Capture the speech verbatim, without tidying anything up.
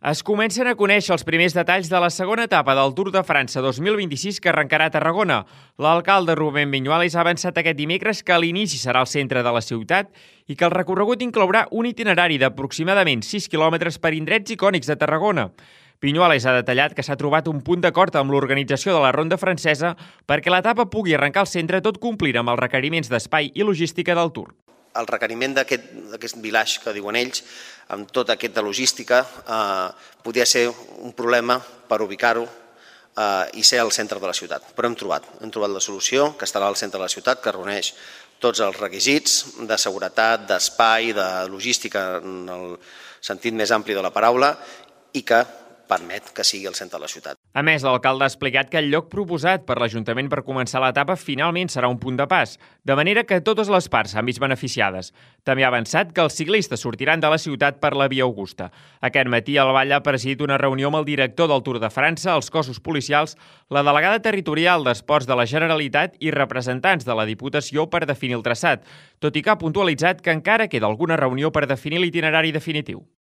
Es comencen a conèixer els primers detalls de la segona etapa del Tour de França dos mil vint-i-sis que arrencarà a Tarragona. L'alcalde Rubén Viñuales ha avançat aquest dimecres que l'inici serà al centre de la ciutat i que el recorregut inclourà un itinerari d'aproximadament sis quilòmetres per indrets icònics de Tarragona. Viñuales ha detallat que s'ha trobat un punt d'acord amb l'organització de la Ronda Francesa perquè l'etapa pugui arrencar al centre tot complint amb els requeriments d'espai i logística del Tour. El requeriment d'aquest village que diuen ells, amb tota aquesta logística, eh, podia ser un problema per ubicar-ho eh, i ser al centre de la ciutat. Però hem trobat, hem trobat la solució, que estarà al centre de la ciutat, que reuneix tots els requisits de seguretat, d'espai, de logística en el sentit més ampli de la paraula i que permet que sigui al centre de la ciutat. A més, l'alcalde ha explicat que el lloc proposat per l'Ajuntament per començar l'etapa finalment serà un punt de pas, de manera que totes les parts s'han vist beneficiades. També ha avançat que els ciclistes sortiran de la ciutat per la Via Augusta. Aquest matí el Vall ha presidit una reunió amb el director del Tour de França, els cossos policials, la delegada territorial d'Esports de la Generalitat i representants de la Diputació per definir el traçat, tot i que ha puntualitzat que encara queda alguna reunió per definir l'itinerari definitiu.